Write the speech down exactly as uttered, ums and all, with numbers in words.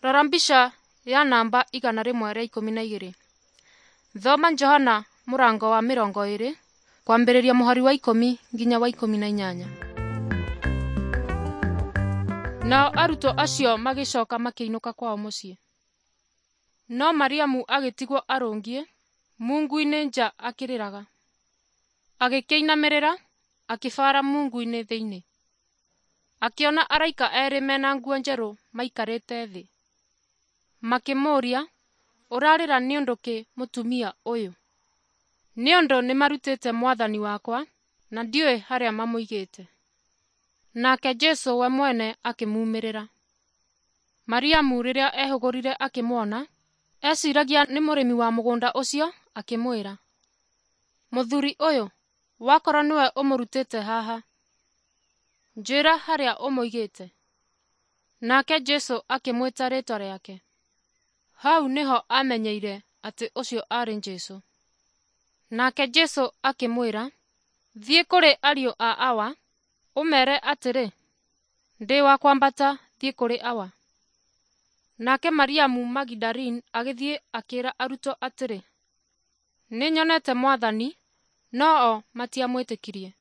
Rora mbica ya namba igana rĩmwe rĩa ikũmi na igĩrĩ. Thoma Johana mũrango wa mĩrongo ĩrĩ kwambĩrĩria mũhari wa ikũmi nginya wa ikũmi na inyanya. Nao arutwo acio magĩcoka makĩinũka kwao mũciĩ. No Mariamu agĩtigwo arũngiĩ mungu-inĩ nja akĩrĩraga. Agĩkĩinamĩrĩra akĩbaara mungu-inĩ thĩinĩ. Akĩona araika erĩ mena nguo njerũ maikarĩte thĩ. Makĩmũũria, "Ũrarĩra nĩ ũndũ kĩ mũtumia ũyũ?" "Nĩ ũndũ nĩmarutĩte Mwathani wakwa, na ndiũĩ harĩa mamũigĩte." Nake Jesũ we mwene akĩmumĩrĩra. Mariamu rĩrĩa ehũgũrire akĩmuona, eciragia nĩ mũrĩmi wa mũgũnda ũcio, akĩmwĩra, "Mũthuri ũyũ, wakorwo nĩwe ũmũrutĩte haha, njĩĩra harĩa ũmũigĩte." Nake Jesũ akĩmwĩta rĩĩtwa rĩake. Hau nĩho amenyeire atĩ ũcio aarĩ Jesũ. Nake Jesũ akĩmwĩra, "Thiĩ kũrĩ ariũ a Awa, ũmeere atĩrĩ, 'Ndĩ wa kwambata thiĩ kũrĩ Awa.'" Nake Mariamu Magidalini agĩthiĩ akĩĩra arutwo atĩrĩ, "Nĩnyonete Mwathani," no-o matiamwĩtĩkirie.